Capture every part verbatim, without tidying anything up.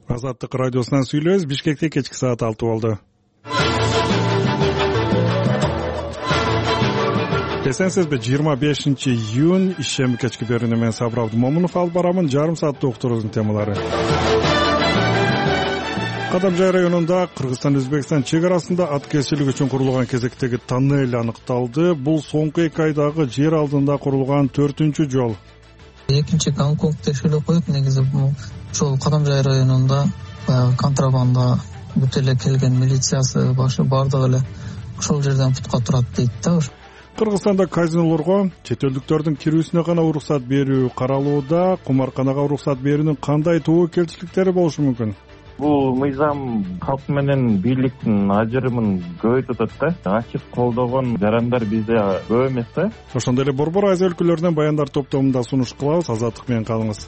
Азаттык радиосунан сүйлөбүз. Бишкекте кечки саат алты болду. Эсенсизби, жыйырма бешинчи июнь ишем кечки берүүнү мен Сабыр Абдымомунов алып барамын. Жарым сааттык уктуруубуздун темалары. Кадамжай районунда Кыргызстан Өзбекстан чек арасында ат кесүүлүк үчүн курулган кезектеги тоннель аныкталды. Бул соңку эки айдагы жер алдында курулган төртүнчү жол. Экинчи Гонконг текшерүү коюп, негизи бул ошол Кадамжай районунда контрабанда бүт эле келген милициясы башы бардыгы эле ошол жерден путка турат дейт да. Кыргызстанда казинолорго чет элдиктөрдүн кирүүсүнө гана уруксат берүү каралууда. Кумарканага уруксат берүүнүн кандай тобокелчиликтери болушу мүмкүн? Бул мыйзам калк менен бийликтин ажырымын көбөйтүп атат да. Ачык колдогон жарандар бизде көп эмес да. Ошондой эле Борбор Азия өлкөлөрүнөн баяндар топтомунда сунуш кылабыз. Азаттык менен калыңыз.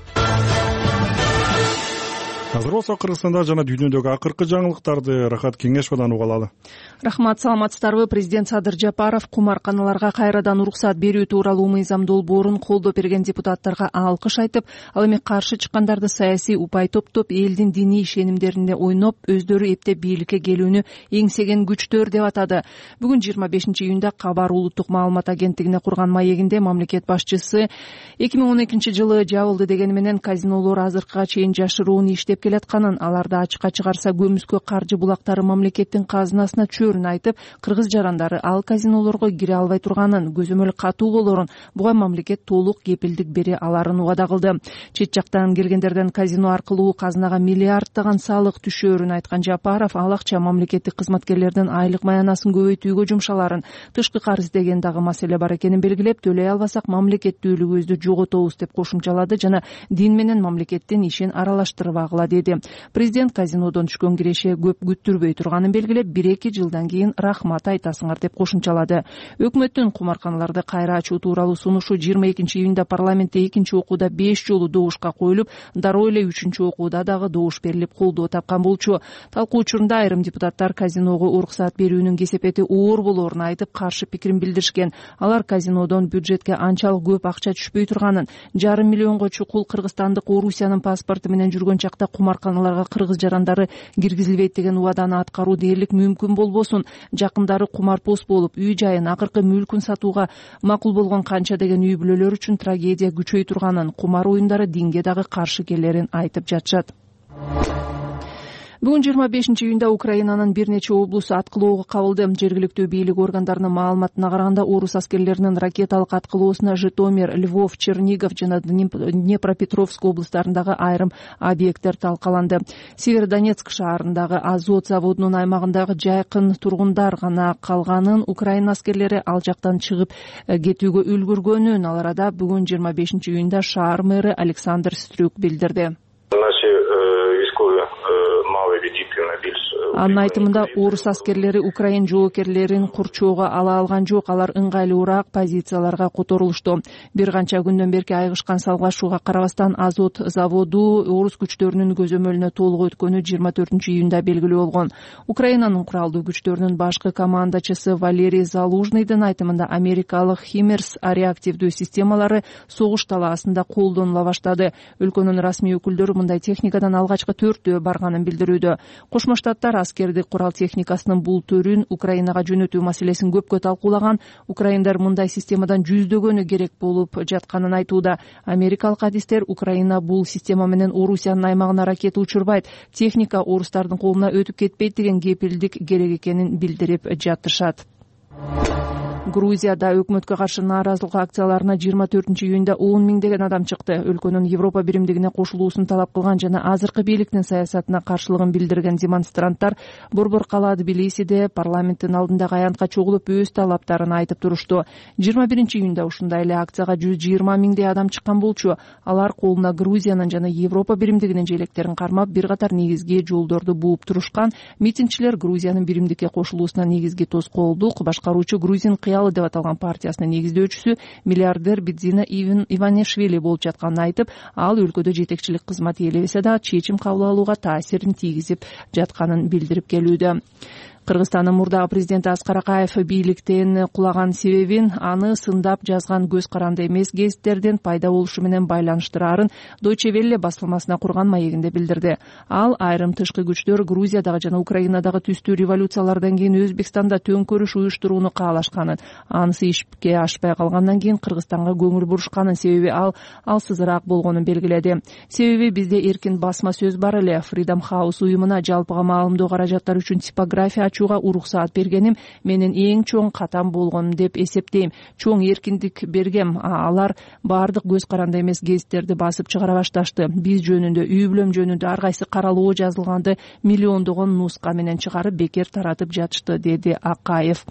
Азыр болсо Кыргызстанда жана дүйнөдөгү акыркы жаңылыктарды Рахат Кеңешовдон уга алалы. Рахмат, саламатсыздарбы? Президент Садыр Жапаров кумарканаларга кайрадан уруксат берүү тууралуу мыйзам долбоорун колдоп берген депутаттарга алкыш айтып, ал эми каршы чыккандарды саясий упай топтоп, элдин диний ишенимдерине ойноп, өздөрү эптеп бийликке келүүнү эңсеген күчтөр деп атады. Бүгүн жыйырма бешинчи июнда Кабар улуттук маалымат агенттигине курган маегинде мамлекет башчысы эки миң он экинчи жылы жабылды дегени менен казинолор азыркыга чейин жашыруун иштеп келатканын, аларды ачыкка чыгарса көмүскө каржы булактары мамлекеттин казынасына чөөрүн айтып, кыргыз жарандары ал казинолорго кире албай турганын, көзөмөл катуу болорун, буга мамлекет толук кепилдик бере аларын убада кылды. Чет жактан келгендерден казино аркылуу казынага миллиарддаган салык түшөөрүн айткан Жапаров, ал акча мамлекеттик кызматкерлердин айлык маянасын көбөйтүүгө жумшаларын, тышкы карыз деген дагы маселе бар экенин белгилеп, төлөй албасак мамлекеттүүлүгүбүздү жоготобуз деп кошумчалады жана дин менен мамлекеттин ишин аралаштырбагыла деди. Президент казинодон түшкөн киреше көп күттүрбөй турганын белгилеп, бир-эки жылдан кийин рахмат айтасыңар деп кошумчалады. Өкмөттүн кумарканаларды кайра ачуу тууралуу сунушу жыйырма экинчи июнда парламентте экинчи окууда беш жолу добушка коюлуп, дароо эле үчүнчү окууда дагы добуш берилип колдоо тапкан болчу. Талкуу учурунда айрым депутаттар казиного уруксат берүүнүн кесепети оор болоорун айтып, каршы пикирин билдиришкен. Алар казинодон бюджетке анчалык көп акча түшпөй турганын, жарым миллионго чукул кыргызстандык Орусиянын паспорту менен жүргөн чакта кумарканаларга кыргыз жарандары киргизилбейт деген убаданы аткаруу дээрлик мүмкүн болбосун, жакындары кумарпоз болуп, үй жайын, акыркы мүлкүн сатууга макул болгон канча деген үй бүлөлөр үчүн трагедия күчөй турганын, кумар оюндары динге дагы каршы келерин айтып жатышат. Бүгүн жыйырма бешинчи июнда Украинанын бир нече облусу аткылоого кабылды. Жергиликтүү бийлик органдарынын маалыматына караганда, орус аскерлеринин ракеталык аткылоосуна Житомир, Львов, Чернигов жана Днепропетровск облустарындагы айрым объекттер талкаланды. Северодонецк шаарындагы Азот заводунун аймагындагы жайкын тургундар гана калганын, Украина аскерлери ал жактан чыгып кетүүгө үлгүргөнүн ал арада бүгүн жыйырма бешинчи июнда шаар мэрі Александр Стрюк билдирди. Анын айтымында, орус аскерлери Украин жоокерлерин курчоого ала алган жок, алар ыңгайлуураак позицияларга которулушту. Бир канча күндөн берки айгышкан салгылашууга карабастан Азот заводу орус күчтөрүнүн көзөмөлүнө толук өткөнү жыйырма төртүнчү июнда белгилүү болгон. Украинанын куралдуу күчтөрүнүн башкы командачысы Валерий Залужныйдын айтымында, америкалык Химерс реактивдүү системалары согуш талаасында колдонула баштады. Өлкөнүн расмий өкүлдөрү мындай техникадан алгачкы төртөө барганын билдирүүдө. Кошмо Штаттар аскердик курал техникасынын бул төрүн Украинага жөнөтүү маселесин көпкө талкуулаган. Украиндар мындай системадан жүздөгөнү керек болуп жатканын айтууда. Америкалык адистер Украина бул система менен Орусиянын аймагына ракета учурбайт, техника орустардын колуна өтүп кетпейт деген кепилдик керек экенин билдирип жатышат. Грузияда өкмөткө каршы нааразылык акцияларына жыйырма төртүнчү июнда он миңдеген адам чыкты. Өлкөнүн Европа биримдигине кошулуусун талап кылган жана азыркы бийликтин саясатына каршылыгын билдирген демонстранттар Борбор кала Тбилисиде парламенттин алдындагы аянтка чогулуп өз талаптарын айтып турушту. жыйырма биринчи июнда ушундай эле акцияга жүз жыйырма миңдей адам чыккан болчу. Алар колуна Грузиянын жана Европа биримдигинин желектерин кармап, бир катар негизги жолдорду бууп турушкан. Митингчилер Грузиянын биримдикке кошулуусуна негизги тоскоолдук башкаруучу Грузин деп аталган партиясынын негиздөөчүсү миллиардер Бидзина Иванишвили болуп жатканын айтып, ал өлкөдө жетекчилик кызмат ээлебесе да чечим кабыл алууга таасирин тийгизип жатканын билдирип келүүдө. Кыргызстандын мурдагы президенти Аскар Акаев бийликтен кулаган себебин аны сындап жазган көз каранды эмес гезиттердин пайда болушу менен байланыштыраарын Deutsche Welle басылмасына курган маегинде билдирди. Ал айрым тышкы күчтөр Грузиядагы жана Украинадагы түстүү революциялардан кийин Өзбекстанда төңкөрүш уюштурууну каалашканын, анысы ишке ашпай калгандан кийин Кыргызстанга көңүл бурушканын себеби ал алсызыраак болгонун белгиледи. Себеби бизде эркин басма сөз бар эле. Freedom House уюмуна жалпыга маалымдоо каражаттары үчүн типография ачууга уруксаат бергеним менин эң чоң катам болгон деп эсептейм. Чоң эркиндик бергем. Алар баардык көз каранды эмес гезиттерди басып чыгара башташты. Биз жөнүндө, үй бүлөм жөнүндө ар кайсы каралоо жазылганды миллиондогон нуска менен чыгарып бекер таратып жатышты, деди Акаев.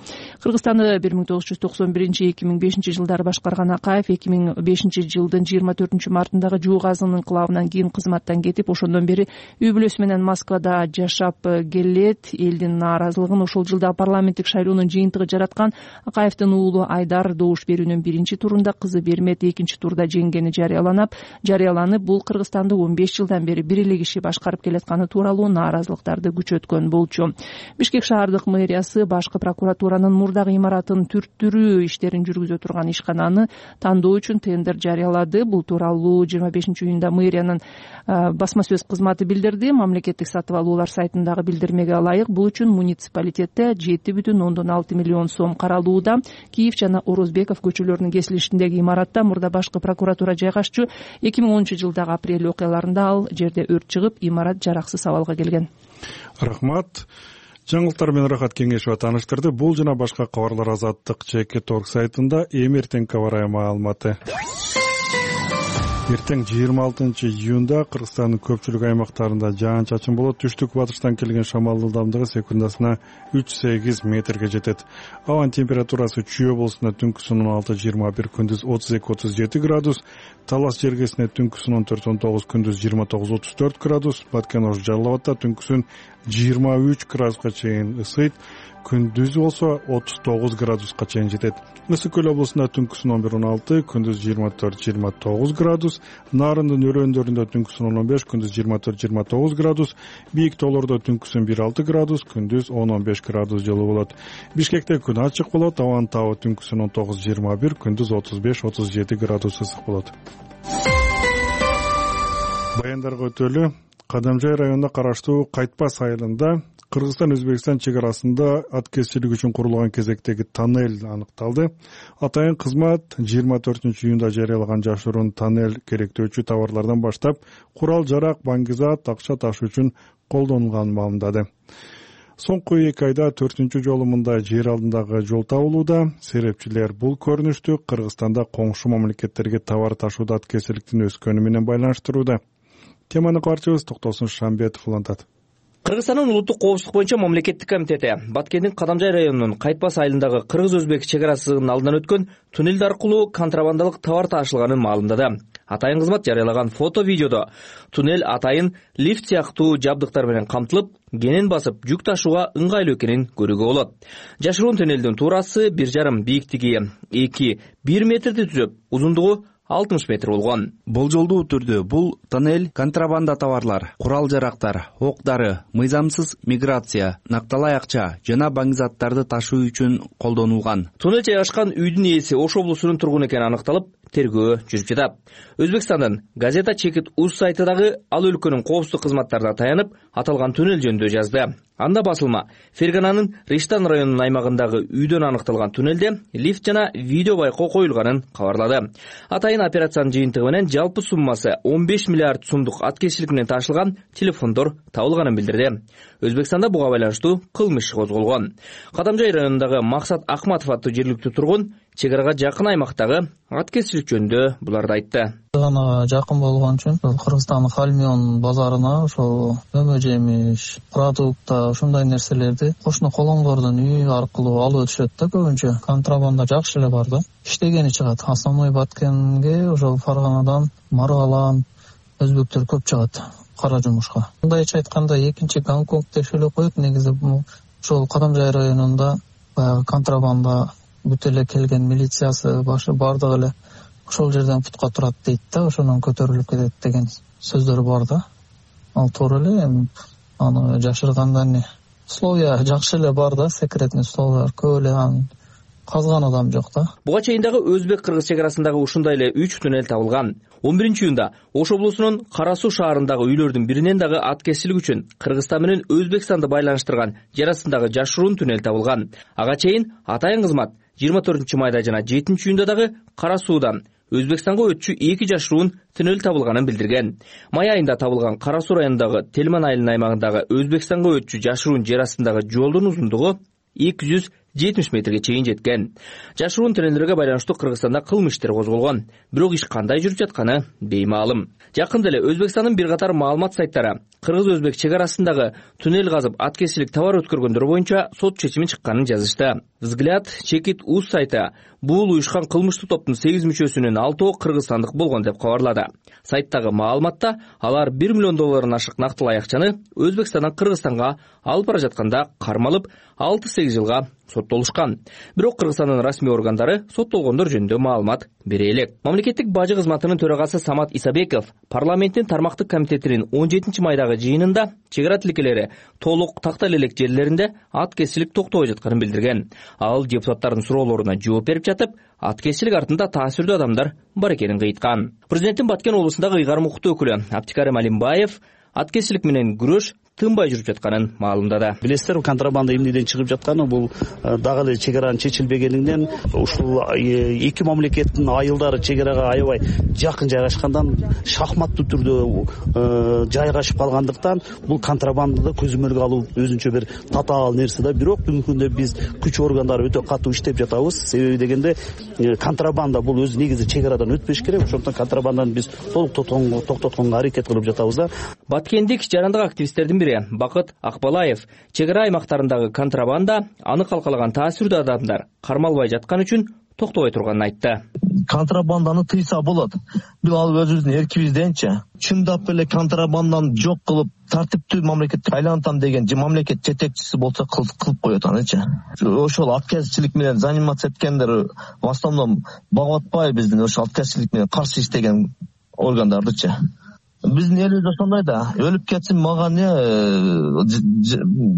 Кыргызстанды бир миң тогуз жүз токсон биринчи — эки миң бешинчи жылдары башкарган Акаев эки миң бешинчи жылдын жыйырма төртүнчү мартындагы жуу газынын инкылабынан кийин кызматтан кетип, ошондон бери үй бүлөсү менен Москвада жашап келет. Элдин нааразылыгын ошол жылда парламенттик шайлоонун жыйынтыгы жараткан. Акаевдин уулу Айдар добуш берүүнүн биринчи турунда, кызы Бермет экинчи турда жеңгени жарыяланып, жарыяланып бул Кыргызстанды он беш жылдан бери бир эле киши башкарып келатканы тууралуу нааразылыктарды күчөткөн болчу. Бишкек шаардык мэриясы башкы прокуратуранын мурдагы имаратын түрттүрүү иштерин жүргүзө турган ишкананы тандоо үчүн тендер жарыялады. Бул тууралуу жыйырма бешинчи июнда мэриянын басма сөз кызматы билдирди. Мамлекеттик сатып алуулар сайтындагы билдирмеге ылайык, бул үчүн муниципалитетте жети бүтүн ондон алты миллион сом каралууда. Киев жана Орозбеков көчөлөрүнүн кесилишиндеги имаратта мурда башкы прокуратура жайгашчу. эки миң онунчу жылдагы апрель окуяларында ал жерде өрт чыгып, имарат жараксыз абалга келген. Рахмат. Жаңылыктар менен Рахат Кеңешова тааныштырды. Бул жана башка кабарлар Азаттык чекит точка орг сайтында. Эми эртең кабарай маалыматы. Эртең жыйырма алтынчы июнда Кыргызстандын көпчүлүк аймактарында жаан-чачын болот. Түштүк батыштан келген шамал ылдамдыгы секундасына үч сегиз метрге жетет. Абанын температурасы Чүй облусунда түнкүсүн он алты жыйырма бир, күндүз отуз эки отуз жети градус, Талас жергесинде түнкүсүн он төрт он тогуз, күндүз жыйырма тогуз отуз төрт градус, Баткен-Ош Жалал абадта түнкүсүн жыйырма үч градуска чейин ысыйт, күндүз болсо отуз тогуз градуска чейин жетет. Ысык көл облусунда түнкүсүн он бир он алты, күндүз жыйырма төрт жыйырма тогуз градус, Нарындын өрөөндөрүндө түнкүсүн он он беш, күндүз жыйырма төрт жыйырма тогуз градус, Бийик тоолордо түнкүсүн бир алты градус, күндүз он он беш градус жылуу болот. Бишкекте күн ачык болот, абанын табы түнкүсүн он тогуз жыйырма бир, күндүз отуз беш отуз жети градус ысык болот. Баяндарга өтөлү. Кадамжай районуна караштуу Кайтпас айылында Кыргызстан-Өзбекстан чек арасында аткезчилик үчүн курулган кезектеги тоннель аныкталды. Атайын кызмат жыйырма төртүнчү июнда жарыялаган жашыруун тоннель керектөөчү товарлардан баштап курал-жарак, баңгизат, акча таш үчүн колдонулганын маалымдады. Соңку эки айда төртүнчү жолу мындай жер алдындагы жол табылууда. Серепчилер бул көрүнүштү Кыргызстанда коңшу мамлекеттерге товар ташууда аткезчиликтин өскөнү менен байланыштырууда. Теманы каарчыбыз Токтосун Шамбетов улантат. Кыргызстандын улуттук коопсуздук боюнча мамлекеттик комитети Баткендин Кадамжай районунун Кайтпас айылындагы кыргыз-өзбек чек арасынын алдынан өткөн туннель аркылуу контрабандалык товар ташылганын маалымдады. Атайын кызмат жарыялаган фото-видеодо туннель атайын лифт сыяктуу жабдыктар менен камтылып, кенен басып жүк ташууга ыңгайлуу экенин көрүүгө болот. Жашыруун туннелдин туурасы бир жарым, бийиктиги эки бир метрди түзөп, узундугу алтымыш метр болгон. Болжолдуу түрдө бул тоннель контрабанда товарлар, курал-жарактар, ок-дары, мыйзамсыз миграция, накталай акча жана баңгизаттарды ташуу үчүн колдонулган. Туннель жайгашкан үйдүн ээси Ош облусунун тургуну экени аныкталып, тергөө жүрүп жатат. Өзбекстандын газета Чекит уз сайты дагы ал өлкөнүн коопсуздук кызматтарына таянып, аталган туннель жөнүндө жазды. Анда басылма Фергананын Риштан районунун аймагындагы үйдөн аныкталган туннелде лифт жана видео байкоо коюлганын кабарлады. Атайын операциянын жыйынтыгы менен жалпы суммасы он беш миллиард сумдук аткезчилик менен ташылган телефондор табылганын билдирди. Өзбекстанда буга байланыштуу кылмыш козголгон. Кадамжай районундагы Максат Акматов аттуу жергиликтүү тургун чек арага жакын аймактагы аткезчилик жөнүндө буларды айтты. Гана жакын болгон үчүн Кыргызстандын Хальмион базарына ошол өмө жемиш, продукта ушундай нерселерди кошуна колоңдордун үйү аркылуу алып өтүшөт да. Көбүнчө контрабанда жакшы эле бар да. Иштегени чыгат. Основной Баткенге ошол Фарганадан, Маргалан өзбектөр көп чыгат кара жумушка. Мындайча айтканда экинчи Гонконг деп эле коет. Негизи ошол Кадамжай районунда баягы контрабанда бүт эле келген милициясы башы бардыгы эле ошол жерден путка турат дейт да, ошондон көтөрүлүп кетет деген сөздөр бар да. Ал туура эле, эми аны жашыргандан условия жакшы эле бар да, секретный условиялар көп эле, анан казган адам жок да. Буга чейин дагы өзбек-кыргыз чек арасындагы ушундай эле үч туннель табылган. он биринчи июнда Ош облусунун Кара Суу шаарындагы үйлөрдүн биринен дагы аткезчилик үчүн Кыргызстан менен Өзбекстанды байланыштырган жер астындагы жашыруун туннель табылган. Ага чейин атайын кызмат жыйырма төртүнчү майда жана жетинчи июнда дагы Кара Суудан Өзбекстанга өтчү эки жашыруун туннель табылганын билдирген. Май айында табылган Кара Суу районундагы Телман айылынын аймагындагы Өзбекстанга өтчү жашыруун жер астындагы жолдун узундугу эки жүз жетимиш метрге чейин жеткен. Жашыруун туннелдерге байланыштуу Кыргызстанда кылмыш иштер козголгон. Бирок иш кандай жүрүп жатканы беймаалым. Жакында эле Өзбекстандын бир катар маалымат сайттары кыргыз-өзбек чек арасындагы туннель казып аткезчилик товар өткөргөндөр боюнча сот чечими чыкканын жазышты. Взгляд Чекит Уз сайты бул уюшкан кылмыштуу топтун сегиз мүчөсүнүн алтоо кыргызстандык болгон деп кабарлады. Сайттагы маалыматта алар бир миллион доллардан ашык нактылуу аякчаны Өзбекстандан Кыргызстанга алып бара жатканда кармалып алты сегиз жылга соттолушкан. Бирок Кыргызстандын расмий органдары соттолгондор жөнүндө маалымат бере элек. Мамлекеттик бажы кызматынын төрагасы Самат Исабеков парламенттин тармактык комитетинин он жетинчи майдагы жыйынында чек ара тилкелери толук тактал элек жерлеринде аткезчилик токтобой жатканын билдирген. Ал депутаттардын суроолоруна жооп берип жатып, аткезчилик артында таасирдүү адамдар бар экенин кыйткан. Президенттин Баткен облусундагы ыйгарым укуктуу өкүлү Аптикарим Алимбаев аткезчилик менен күрөш тынбай жүрүп жатканын маалымдады. Билесиздер, контрабанда эмнеден чыгып жатканы бул дагы эле чек аранын чечилбегенинден, ушул эки мамлекеттин айылдары чек арага аябай жакын жайгашкандан, шахматтуу түрдө жайгашып калгандыктан бул контрабанданы көзөмөлгө алуу өзүнчө бир татаал нерсе да. Бирок бүгүнкү күндө биз күч органдары өтө катуу иштеп жатабыз. Себеби дегенде контрабанда бул өзү негизи чек арадан өтпөш керек. Ошондуктан контрабанданы биз толук токтотконго аракет кылып жатабыз да. Баткендик жарандык активисттердин Бакыт Акбалаев чек ара аймактарындагы контрабанда аны калкалаган таасирдүү адамдар кармалбай жаткан үчүн токтобой турганын айтты. Контрабанданы тыйса болот. Бул ал өзүбүздүн эркибизденчи. Чындап эле контрабанданы жок кылып, тартиптүү мамлекетке айлантам деген мамлекет жетекчиси болсо кылып коет анычы. Ошол аткезчилик менен заниматься эткендер в основном багып атпайбы биздин ошол аткезчилик менен каршы иштеген органдардычы. Биздин элибиз ошондой да. Өлүп кетсин мага не,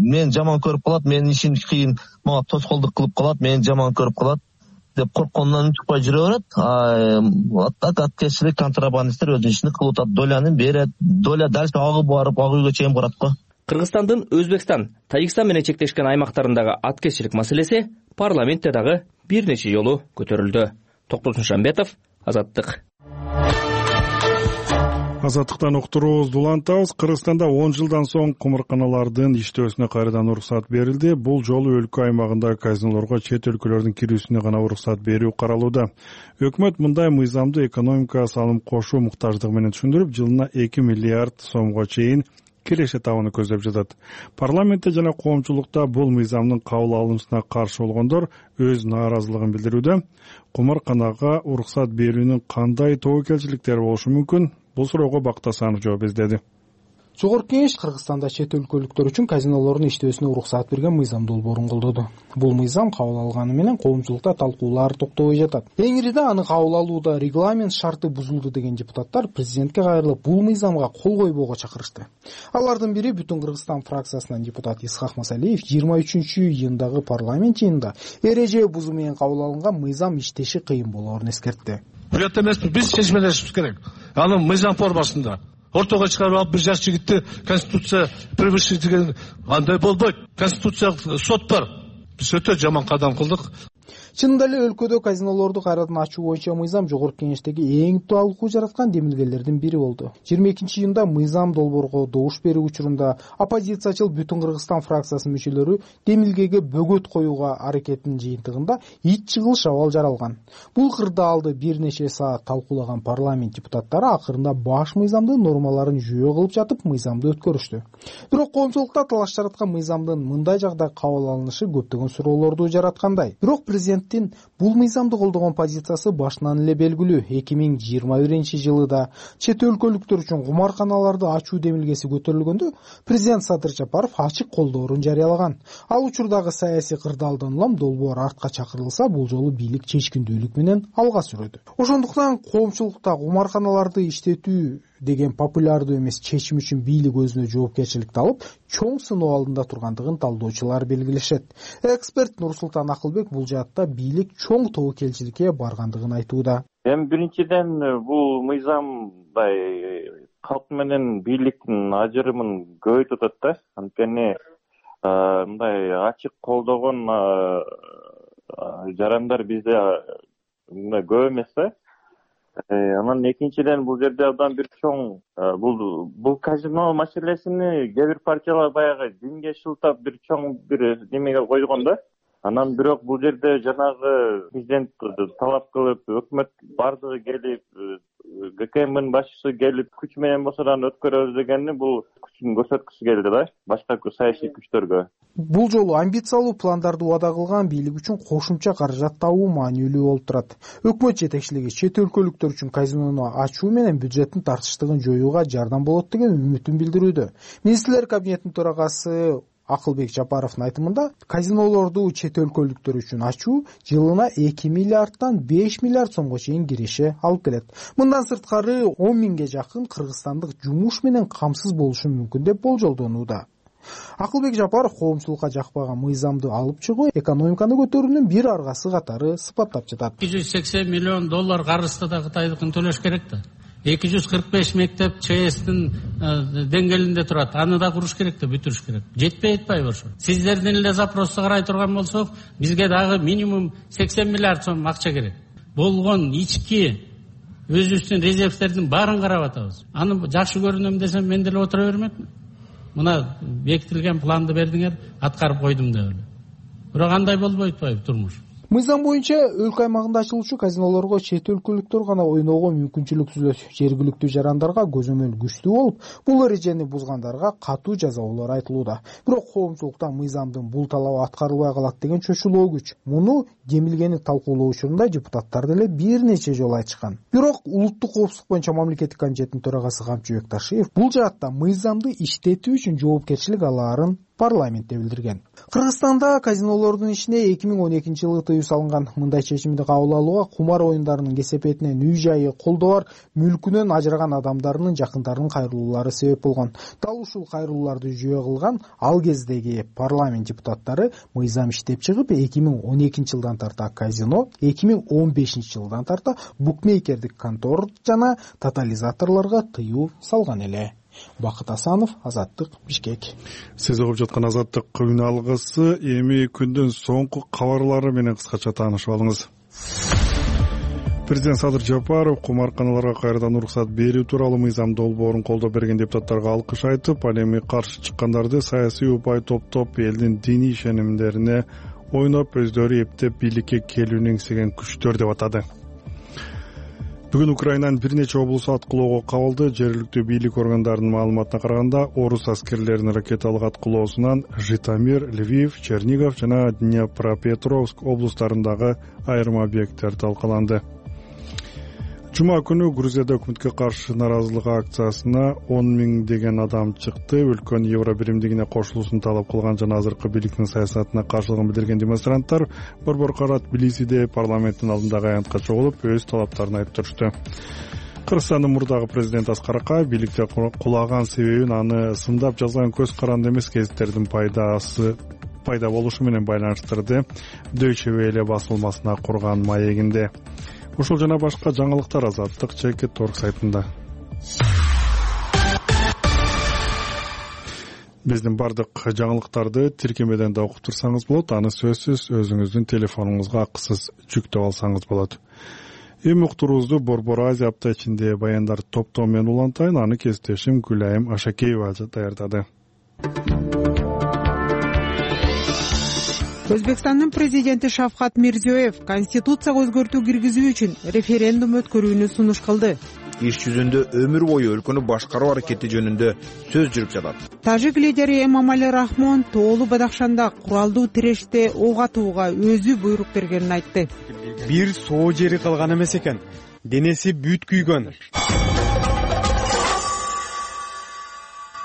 мен жаман көрүп калат, менин ишим кыйын, мага тоскоолдук кылып калат, мени жаман көрүп калат деп корккондон чыкпай жүрө берет. Аттак аткезчилик контрабандисттер өз ишин кылып атат, доляны берет, доля дальше агып барып, ак үйгө чейин барат го. Кыргызстандын Өзбекстан, Тажикстан менен чектешкен аймактарындагы аткезчилик маселеси парламентте дагы бир нече жолу көтөрүлдү. Токтосун Шамбетов, Азаттык. Азаттыктан уктуруубузду улантабыз. Кыргызстанда он жылдан соң кумарканалардын иштөөсүнө кайрадан уруксат берилди. Бул жолу өлкө аймагындагы казинолорго чет өлкөлөрдүн кирүүсүнө гана уруксат берүү каралууда. Өкмөт мындай мыйзамды экономикага салым кошуу муктаждыгы менен түшүндүрүп, жылына эки миллиард сомго чейин киреше табууну көздөп жатат. Парламентте жана коомчулукта бул мыйзамдын кабыл алынышына каршы болгондор өз нааразылыгын билдирүүдө. Кумарканага уруксат берүүнүн кандай тобокелчиликтери болушу мүмкүн? Бул суроого Бактасанов жооп издеди. Жогорку Кеңеш Кыргызстанда чет өлкөлүктөр үчүн казинолордун иштөөсүнө уруксат берген мыйзам долбоорун колдоду. Бул мыйзам кабыл алганы менен коомчулукта талкуулар токтобой жатат. Теңирде аны кабыл алууда регламент шарты бузулду деген депутаттар президентке кайрылып, бул мыйзамга кол койбоого чакырышты. Алардын бири Бүтүн Кыргызстан фракциясынан депутат Исхак Масалиев жыйырма үчүнчү июндагы парламент жыйынында эреже бузуу менен кабыл алынган мыйзам иштеши кыйын болоорун эскертти. Бирок эмеспи, биз чечмелешибиз керек. Аны мыйзам формасында ортого чыгарып алып, бир жаш жигитти конституция превышить деген андай болбойт. Конституциялык сот бар. Биз өтө жаман кадам кылдык. Чынында эле өлкөдө казинолорду кайрадан ачуу боюнча мыйзам Жогорку Кеңештеги эң талкуу жараткан демилгелердин бири болду. жыйырма экинчи июнда мыйзам долбоорго добуш берүү учурунда оппозициячыл Бүтүн Кыргызстан фракциясынын мүчөлөрү демилгеге бөгөт коюуга аракетинин жыйынтыгында ич чыгылыш абал жаралган. Бул кырдаалды бир нече саат талкуулаган парламент депутаттары акырында баш мыйзамдын нормаларын жүйө кылып жатып, мыйзамды өткөрүштү. Бирок коомчулукта талаш жараткан мыйзамдын мындай жагда кабыл алынышы көптөгөн суроолорду жараткандай. Бирок президент бул мыйзамды колдогон позициясы башынан эле белгилүү. эки миң жыйырма биринчи жылы да чет өлкөлүктөр үчүн кумарканаларды ачуу демилгеси көтөрүлгөндө президент Садыр Жапаров ачык колдоорун жарыялаган. Ал учурдагы саясий кырдаалдан улам долбоор артка чакырылса, бул жолу бийлик чечкиндүүлүк менен алга сүрөдү. Ошондуктан коомчулукта кумарканаларды иштетүү деген популярдуу эмес чечим үчүн бийлик өзүнө жоопкерчиликти алып чоң сыноо алдында тургандыгын талдоочулар белгилешет. Эксперт Нурсултан Акылбек бул жаатта бийлик чоң тобокелчиликке баргандыгын айтууда. Эми биринчиден бул мыйзамдай калк менен бийликтин ажырымын көбөйтүп атат да. Анткени мындай ачык колдогон жарандар бизде мындай көп эмес да. Анан экинчиден бул жерде абдан бир чоң бул бул казино маселесини кээ бир партиялар баягы динге шылтап бир чоң бир немеге койгон да. Анан бирок бул жерде жанагы президент талап кылып, өкмөт бардыгы келип, ГКМдин башчысы келип, күч менен болсо да өткөрөбүз дегенди бул күчүн көрсөткүсү келди да, башка саясий күчтөргө. Бул жолу амбициялуу пландарды убада кылган бийлик үчүн кошумча каражат табуу маанилүү болуп турат. Өкмөт жетекчилиги чет өлкөлүктөр үчүн казинону ачуу менен бюджеттин тартыштыгын жоюуга жардам болот деген үмүтүн билдирүүдө. Министрлер кабинетинин төрагасы Акылбек Жапаровдун айтымында, казинолорду чет өлкөлүктөр үчүн ачуу жылына эки миллиарддан беш миллиард сомго чейин киреше алып келет. Мындан сырткары он миңге жакын кыргызстандык жумуш менен камсыз болушу мүмкүн деп болжолдонууда. Акылбек Жапаров коомчулукка жакпаган мыйзамды алып чыгуу экономиканы көтөрүүнүн бир аргасы катары сыпаттап жатат. эки жүз сексен миллион доллар карызды да Кытайдыкын төлөш керек да. эки жүз кырк беш мектеп ЧСтин деңгээлинде турат. Аны да куруш керек да, бүтүрүш керек. Жетпей атпайбы ошо? Сиздердин эле запросту карай турган болсок, бизге дагы минимум сексен миллиард сом акча керек. Болгон ички өзүбүздүн резервтердин баарын карап атабыз. Аны жакшы көрүнөм десем, мен деле отура бермекмин. Мына бекитилген планды бердиңер, аткарып койдум деп эле. Бирок андай болбой атпайбы турмуш? Мыйзам боюнча өлкө аймагында ачылуучу казинолорго чет өлкөлүктөр гана ойноого мүмкүнчүлүк түзүлөт. Жергиликтүү жарандарга көзөмөл күчтүү болуп, бул эрежени бузгандарга катуу жазалоолор айтылууда. Бирок коомчулукта мыйзамдын бул талабы аткарылбай калат деген чочулоо күч. Муну демилгени талкуулоо учурунда депутаттар деле бир нече жолу айтышкан. Бирок улуттук коопсуздук боюнча мамлекеттик комитеттин төрагасы Камчыбек Ташиев бул жаатта мыйзамды иштетүү үчүн жоопкерчилик алаарын парламентте билдирген. Кыргызстанда казинолордун ичине эки миң он экинчи жылы тыюу салынган. Мындай чечимди кабыл алууга кумар оюндарынын кесепетинен үй жайы, колдоо бар мүлкүнөн ажыраган адамдарынын жакындарынын кайрылуулары себеп болгон. Дал ушул кайрылууларды жүйө кылган ал кездеги парламент депутаттары мыйзам иштеп чыгып, эки миң он экинчи жылдан тарта казино, эки миң он бешинчи жылдан тарта букмекердик контор жана тотализаторлорго тыюу салган эле. Бакыт Асанов, Азаттык, Бишкек. Сиз угуп жаткан Азаттык күн алгысы эми күндүн соңку кабарлары менен кыскача таанышып алыңыз. Президент Садыр Жапаров кумарканаларга кайрадан уруксат берүү тууралуу мыйзам долбоорун колдоо берген депутаттарга алкыш айтып, ал эми каршы чыккандарды саясий упай топтоп, элдин диний ишенимдерине ойноп, өздөрү эптеп бийликке келүүнү эңсеген күчтөр деп атады. Бүгүн Украинанын бир нече облусу аткылоого кабылды. Жергиликтүү бийлик органдарынын маалыматына караганда, орус аскерлеринин ракеталык аткылоосунан Житомир, Львив, Чернигов жана Днепропетровск облустарындагы айрым объекттер талкаланды. Жума күнү Грузияда өкмөткө каршы наразылык акциясына он миң деген адам чыкты. Өлкөнүн евро биримдигине кошулуусун талап кылган жана азыркы бийликтин саясатына каршылыгын билдирген демонстранттар борбор карат Тбилисиде парламенттин алдындагы аянтка чогулуп, өз талаптарын айтып турушту. Кыргызстандын мурдагы президенти Аскар Акаев бийликте кулаган себебин аны сындап жазган көз каранды эмес гезиттердин пайдасы пайда болушу менен байланыштырды. Deutsche Welle басылмасына курган маегинде. Ушул жана башка жаңылыктар Азаттык чекит точка орг сайтында. Биздин бардык жаңылыктарды тиркемеден да окуп турсаңыз болот, аны сөзсүз өзүңүздүн телефонуңузга акысыз жүктөп алсаңыз болот. Эми уктуруубузду Борбор Азия апта ичинде баяндар топтоо менен улантайын, аны кесиптешим Гүлайым Ашакеева даярдады. Өзбекстандын президенти Шавкат Мирзиёев конституцияга өзгөртүү киргизүү үчүн референдум өткөрүүнү сунуш кылды. Иш жүзүндө өмүр бою өлкөнү башкаруу аракети жөнүндө сөз жүрүп жатат. Тажик лидери Эмомали Рахмон тоолуу Бадахшанда куралдуу тиреште ок атууга өзү буйрук бергенин айтты. Бир соо жери калган эмес экен. Денеси бүт күйгөн.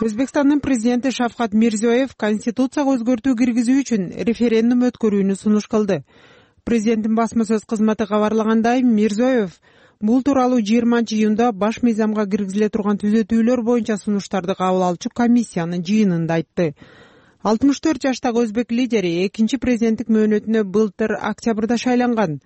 Өзбекстандын президенти Шавкат Мирзиёев конституцияга өзгөртүү киргизүү үчүн референдум өткөрүүнү сунуш кылды. Президенттин басма сөз кызматы кабарлагандай, Мирзиёев Бул тууралуу жыйырманчы июнда баш мыйзамга киргизиле турган түзөтүүлөр боюнча сунуштарды кабыл алчу комиссиянын жыйынында айтты. алтымыш төрт жаштагы өзбек лидери экинчи президенттик мөөнөтүнө былтыр октябрда шайланган.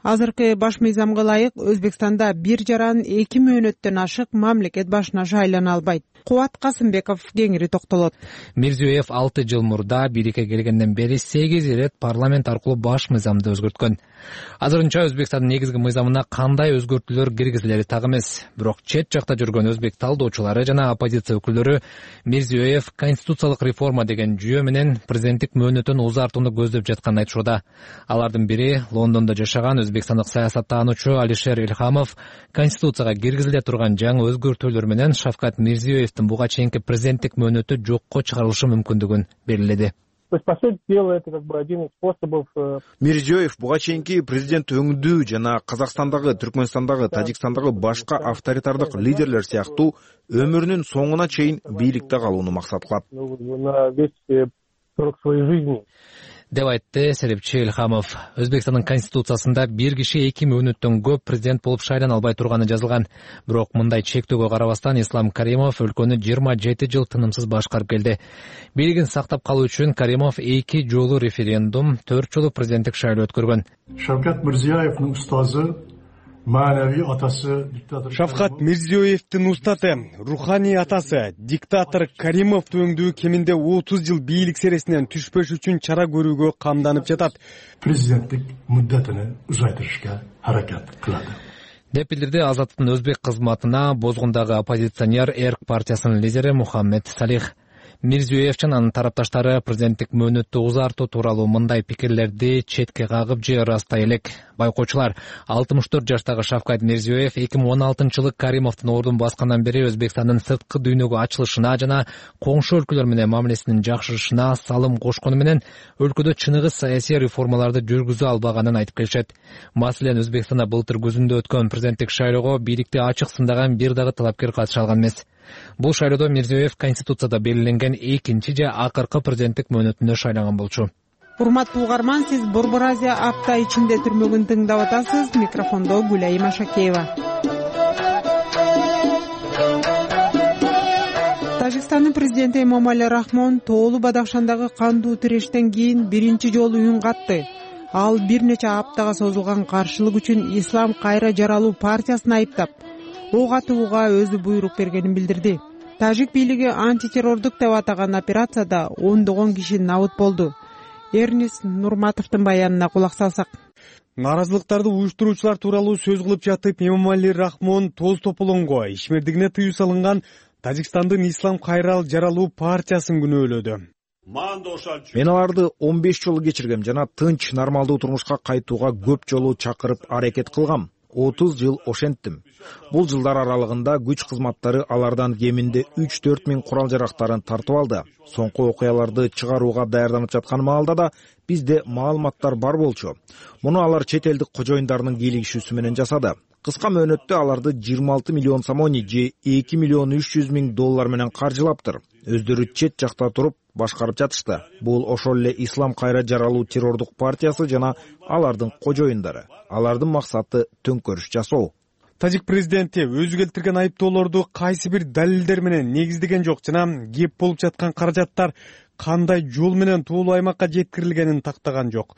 Азыркы баш мыйзамга ылайык Өзбекстанда бир жаран эки мөөнөттөн ашык мамлекет башына шайлана албайт. Кубат Касымбеков кеңири токтолот. Мирзиёев алты жыл мурда бийликке келгенден бери сегиз ирет парламент аркылуу баш мыйзамды өзгөрткөн. Азырынча Өзбекстандын негизги мыйзамына кандай өзгөртүүлөр киргизилери так эмес. Бирок чет жакта жүргөн өзбек талдоочулары жана оппозиция өкүлдөрү Мирзиёев конституциялык реформа деген жүйө менен президенттик мөөнөтүн узартууну көздөп жатканын айтышууда. Алардын бири Лондондо жашаган өзбекстандык саясаттануучу Алишер Илхамов конституцияга киргизиле турган жаңы өзгөртүүлөр менен Шавкат Мирзиёевдин буга чейинки президенттик мөөнөтү жокко чыгарылышы мүмкүндүгүн белгиледи. Мирзиёев буга чейинки президент өңдүү жана Казакстандагы, Түркмөнстандагы, Тажикстандагы башка авторитардык лидерлер сыяктуу өмүрүнүн соңуна чейин бийликте калууну максат кылат деп айтты серепчи Илхамов. Өзбекстандын конституциясында бир киши эки мөөнөттөн көп президент болуп шайлана албай турганы жазылган. Бирок мындай чектөөгө карабастан Ислам Каримов өлкөнү жыйырма жети жыл тынымсыз башкарып келди. Бийлигин сактап калуу үчүн Каримов эки жолу референдум, төрт жолу президенттик шайлоо өткөргөн. Шавкат Мирзиёевдин устазы, маанавий атасы диктатор Шавкат Мирзиёевдин устаты, руханий атасы диктатор Каримовду өңдүү кеминде отуз жыл бийлик сересинен түшпөш үчүн чара көрүүгө камданып жатат. Президенттик муддатыны узайтырышка аракет кылат деп билдирди Азаттыктын өзбек кызматына Бозгундагы оппозиционер Эрк партиясынын лидери Мухаммед Салих. Мирзиёев жана анын тарапташтары президенттик мөөнөттү узартуу тууралуу мындай пикирлерди четке кагып же ырастай элек. Байкоочулар, алтымыш төрт жаштагы Шавкат Мирзиёев эки миң он алтынчы жылы Каримовдун ордун баскандан бери Өзбекстандын сырткы дүйнөгө ачылышына жана коңшу өлкөлөр менен мамилесинин жакшырышына салым кошкону менен өлкөдө чыныгы саясий реформаларды жүргүзө албаганын айтып келишет. Маселен, Өзбекстанда былтыр күзүндө өткөн президенттик шайлоого бийликти ачык сындаган бир дагы талапкер катыша алган эмес. Бул шайлоодо Мирзиёев конституцияда белгиленген экинчи же акыркы президенттик мөөнөтүндө шайланган болчу. Урматтуу угарман, сиз Борбор Азия апта ичинде түрмөгүн тыңдап атасыз. Микрофондо Гүлайым Ашакеева. Тажикстандын президенти Эмомали Рахмон Тоолу Бадахшандагы кандуу тирештен кийин биринчи жолу үн катты. Ал бир нече аптага созулган каршылык үчүн Ислам кайра жаралуу партиясын айыптап, ок атууга өзү буйрук бергенин билдирди. Тажик бийлиги антитеррордук деп атаган операцияда ондогон киши набыт болду. Эрнис Нурматовдун баянына кулак салсак. Наразылыктарды уюштуруучулар тууралуу сөз кылып жатып, Эмомали Рахмон тоз тополоңго ишмердигине тыюу салынган Тажикстандын Ислам кайра жаралуу партиясын күнөөлөдү. Мен аларды он беш жолу кечиргем жана тынч, нормалдуу турмушка кайтууга көп жолу чакырып аракет кылгам. отуз жыл ошенттим. Бул жылдар аралыгында күч кызматтары алардан кеминде үч төрт миң курал жарактарын тартып алды. Соңку окуяларды чыгарууга даярданып жаткан маалда да бизде маалыматтар бар болчу. Муну алар чет элдик кожоюндарынын кийлигишүүсү менен жасады. Кыска мөөнөттө аларды жыйырма алты миллион сомони же эки миллион үч жүз миң доллар менен каржылаптыр. Өздөрү чет жакта туруп башкарып жатышты. Бул ошол эле Ислам кайра жаралуу террордук партиясы жана алардын кожоюндары. Алардын максаты төңкөрүш жасоо. Тажик президенти өзү келтирген айыптоолорду кайсы бир далилдер менен негиздеген жок жана кеп болуп жаткан каражаттар кандай жол менен тоолуу аймакка жеткирилгенин тактаган жок.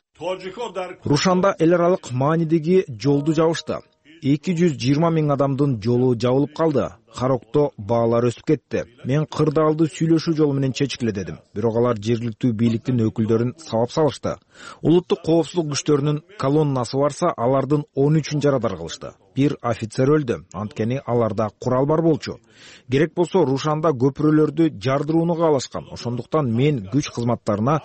Рушанда эл аралык маанидеги жолду жабышты. эки жүз жыйырма миң адамдын жолу жабылып калды. Харокто баалар өсүп кетти. Мен кырдаалды сүйлөшүү жолу менен чечкиле дедим. Бирок алар жергиликтүү бийликтин өкүлдөрүн сабап салышты. Улуттук коопсуздук күчтөрүнүн колоннасы барса, алардын он үчүн жарадар кылышты. Бир офицер өлдү. Анткени аларда курал бар болчу. Керек болсо Рушанда көпүрөлөрдү жардырууну каалашкан. Ошондуктан мен күч кызматтарына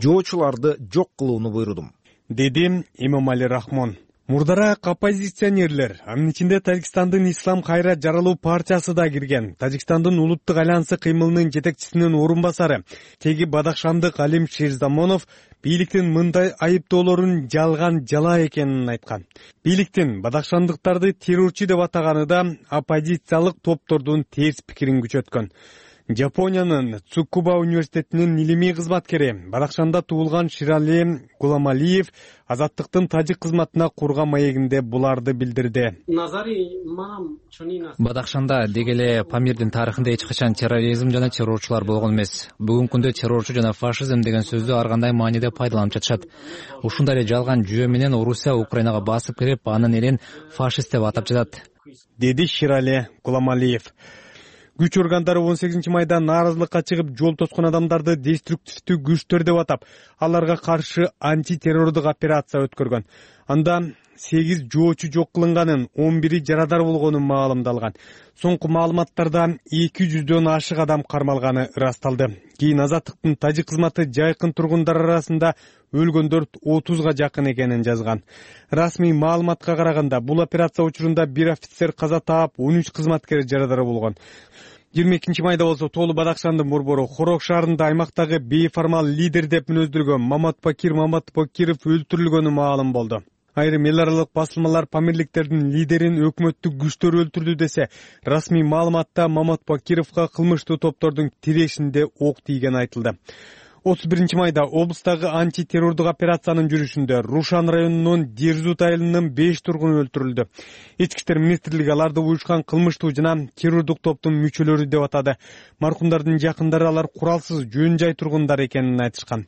жоочуларды жок кылууну буйрудум, деди Эмомали Рахмон. Мурдараак оппозиционерлер, анын ичинде Тажикстандын Ислам кайра жаралуу партиясы да кирген. Тажикстандын улуттук альянсы кыймылынын жетекчисинин орун басары, теги Бадахшандык Алим Ширзамонов бийликтин мындай айыптоолорун жалган жала экенин айткан. Бийликтин Бадахшандыктарды террорчу деп атаганы да оппозициялык топтордун терс пикирин күчөткөн. Жапониянын Цукуба университетинин илимий кызматкери Бадахшанда туулган Ширали Гуламалиев азаттыктын тажик кызматына курган маегинде буларды билдирди. Бадахшанда деги эле Памирдин тарыхында эч качан терроризм жана террорчулар болгон эмес. Бүгүнкү күндө террорчу жана фашизм деген сөздү ар кандай мааниде пайдаланып жатышат. Ушундай эле жалган жүйө менен Орусия Украинага басып кирип, анын элин фашист деп атап жатат, деди Ширали Гуламалиев. Күч органдары он сегизинчи майда нааразылыкка чыгып жол тоскон адамдарды деструктивдүү күчтөр деп атап, аларга каршы антитеррордук операция өткөргөн. Анда сегиз жоочу жок кылынганын, он бири жарадар болгону маалымдалган. Соңку маалыматтарда эки жүздөн ашык адам кармалганы ырасталды. Кийин азаттыктын тажик кызматы жайкын тургундар арасында өлгөндөр отузга жакын экенин жазган. Расмий маалыматка караганда, бул операция учурунда бир офицер каза таап, он үч кызматкер жарадар болгон. жыйырма экинчи майда болсо Тоолу Бадахшандын борбору Хорок шаарында аймактагы бейформал лидер деп мүнөздүргөн Маматбакир Маматбакиров өлтүрүлгөнү маалым болду. Айрым эл аралык басылмалар Памирликтердин лидерин өкмөттүк күчтөр өлтүрдү десе, расмий маалыматта Маматбакировго кылмыштуу топтордун тирешинде ок тийгени айтылды. отуз биринчи майда облустагы антитеррордук операциянын жүрүшүндө Рушан районунун Дерзут айылынын беш тургуну өлтүрүлдү. Ички иштер министрлиги аларды уюшкан кылмыштуу жана террордук топтун мүчөлөрү деп атады. Маркумдардын жакындары алар куралсыз жөн жай тургундар экенин айтышкан.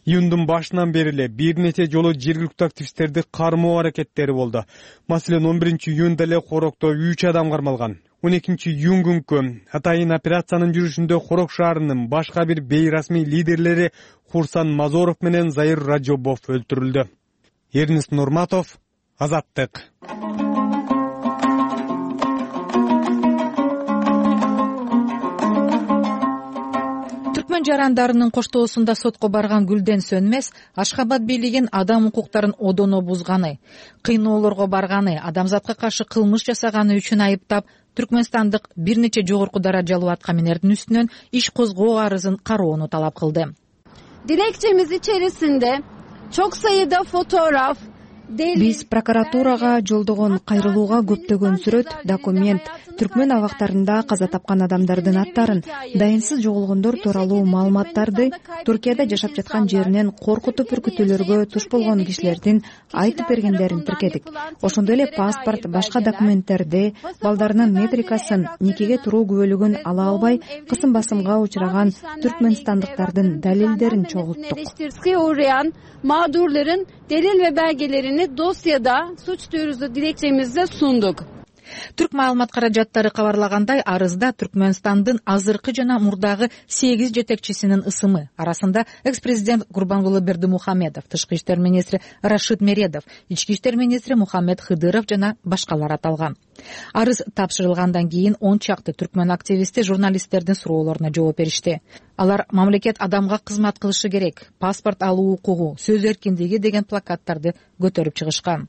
Июндун башынан бери эле бир нече жолу жергиликтүү активисттерди кармоо аракеттери болду. Маселен, он биринчи июнда эле Хорокто үч адам кармалган. он экинчи июнь күнкү атайын операциянын жүрүшүндө Хорок шаарынын башка бир бейрасмий лидерлери Хурсан Мазоров менен Заир Раджобов өлтүрүлдү. Эрнест Нурматов, Азаттык. Түркмөн жарандарынын коштоосунда сотко барган Гүлден Сөнмес Ашхабад бийлигин адам укуктарын одоно бузганы, кыйноолорго барганы, адамзатка каршы кылмыш жасаганы үчүн айыптап, Түркмөнстандык бир нече жогорку даражалуу аткаминердин үстүнөн иш козгоо арызын кароону талап кылды. Dilekçemiz içerisinde çok sayıda fotoğraf, Биз прокуратурага жолдогон кайрылууга көптөгөн сүрөт, документ, түркмөн абактарында каза тапкан адамдардын аттарын, дайынсыз жоголгондор тууралуу маалыматтарды, Туркияда жашап жаткан жеринен коркутуп үркүтүүлөргө туш болгон кишилердин айтып бергендерин тиркедик. Ошондой эле паспорт, башка документтерди, балдарынын метрикасын, никеге туруу күбөлүгүн ала албай, кысым басымга учураган түркмөнстандыктардын далилдерин чогулттук. Mağdurların delil ve belgelerini dosyada suç duyurusu dilekçemizde sunduk. Түрк маалымат каражаттары кабарлагандай, арызда Түркмөнстандын азыркы жана мурдагы сегиз жетекчисинин ысымы, арасында экс-президент Гурбангулы Бердимухамедов, тышкы иштер министри Рашид Мередов, ички иштер министри Мухаммед Хыдыров жана башкалар аталган. Арыз тапшырылгандан кийин он чакты түркмөн активисти журналисттердин суроолоруна жооп беришти. Алар мамлекет адамга кызмат кылышы керек, паспорт алуу укугу, сөз эркиндиги деген плакаттарды көтөрүп чыгышкан.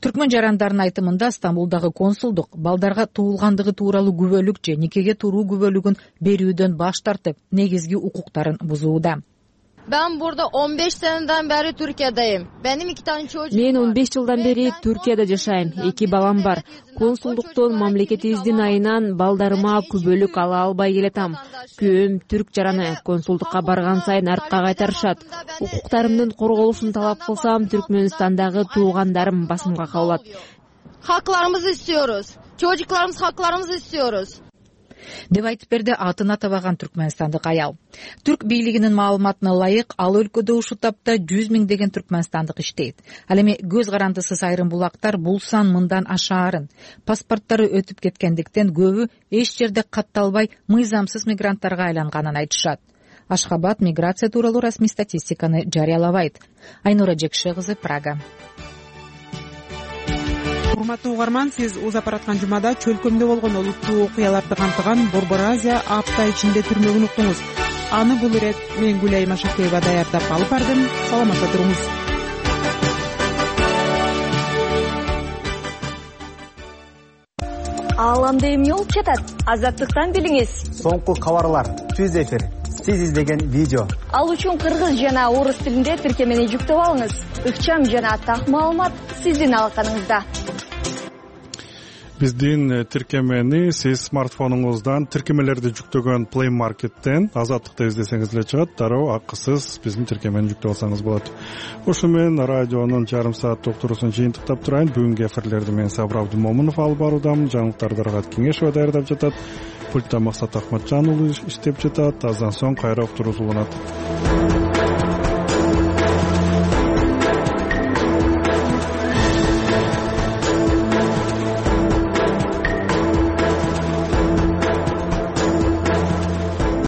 Түркмөн жарандарынын айтымында Стамбулдагы консулдук балдарга туулгандыгы тууралуу күбөлүк же никеге туруу күбөлүгүн берүүдөн баш тартып, негизги укуктарын бузууда. Ben burada on beş seneden beri Türkiye'deyim. Benim iki tane çocuğum var. Мен он беш жылдан бери Түркияда жашайм. Эки балам бар. Консулдуктун мамлекетибиздин айынан балдарыма күбөлүк ала албай келатам. Күйөөм түрк жараны, консулдукка барган сайын артка кайтарышат. Укуктарымдын корголушун талап кылсам, Түркмөнстандагы туугандарым басымга кабылат. Haklarımızı istiyoruz. Çocuklarımız haklarımızı istiyoruz. деп айтып берди атын атабаган түркмөнстандык аял. Түрк бийлигинин маалыматына ылайык, ал өлкөдө ушул тапта жүз миңдеген түркмөнстандык иштейт. Ал эми көз карандысыз айрым булактар бул сан мындан ашаарын. Паспорттары өтүп кеткендиктен көбү эч жерде катталбай мыйзамсыз мигранттарга айланганын айтышат. Ашхабад миграция тууралуу расмий статистиканы жарыялабайт. Айнура Жекше кызы, Прага. Урматтуу угарман, сиз узап бараткан жумада чөлкөмдө болгон олуттуу окуяларды камтыган Борбор Азия апта ичинде түрмөгүн уктуңуз. Аны бул ирет мен Гүлай Машакеева даярдап алып бардым. Саламатта туруңуз. Ааламда эмне болуп жатат? Азаттыктан билиңиз. Соңку кабарлар, түз эфир, сиз издеген видео. Ал үчүн кыргыз жана орус тилинде тиркемени жүктөп алыңыз. Ыкчам жана так маалымат сиздин алаканыңызда. биздин тиркемени сиз смартфонуңуздан тиркемелерди жүктөгөн Play Market'тен Азаттыкты издесеңиз эле чыгат. Дароо акысыз биздин тиркемени жүктөп алсаңыз болот. Ошо менен радионун жарым сааттык уктуруусун жыйынтыктап турайын. Бүгүнкү эфирлерди мен Сабыр Абдымомунов алып баруудамын. Жаңылыктарды Рагат Кеңешова даярдап жатат. Пультта Максат Акматжан уулу иштеп жатат. Аздан соң кайра уктуруубуз уланат.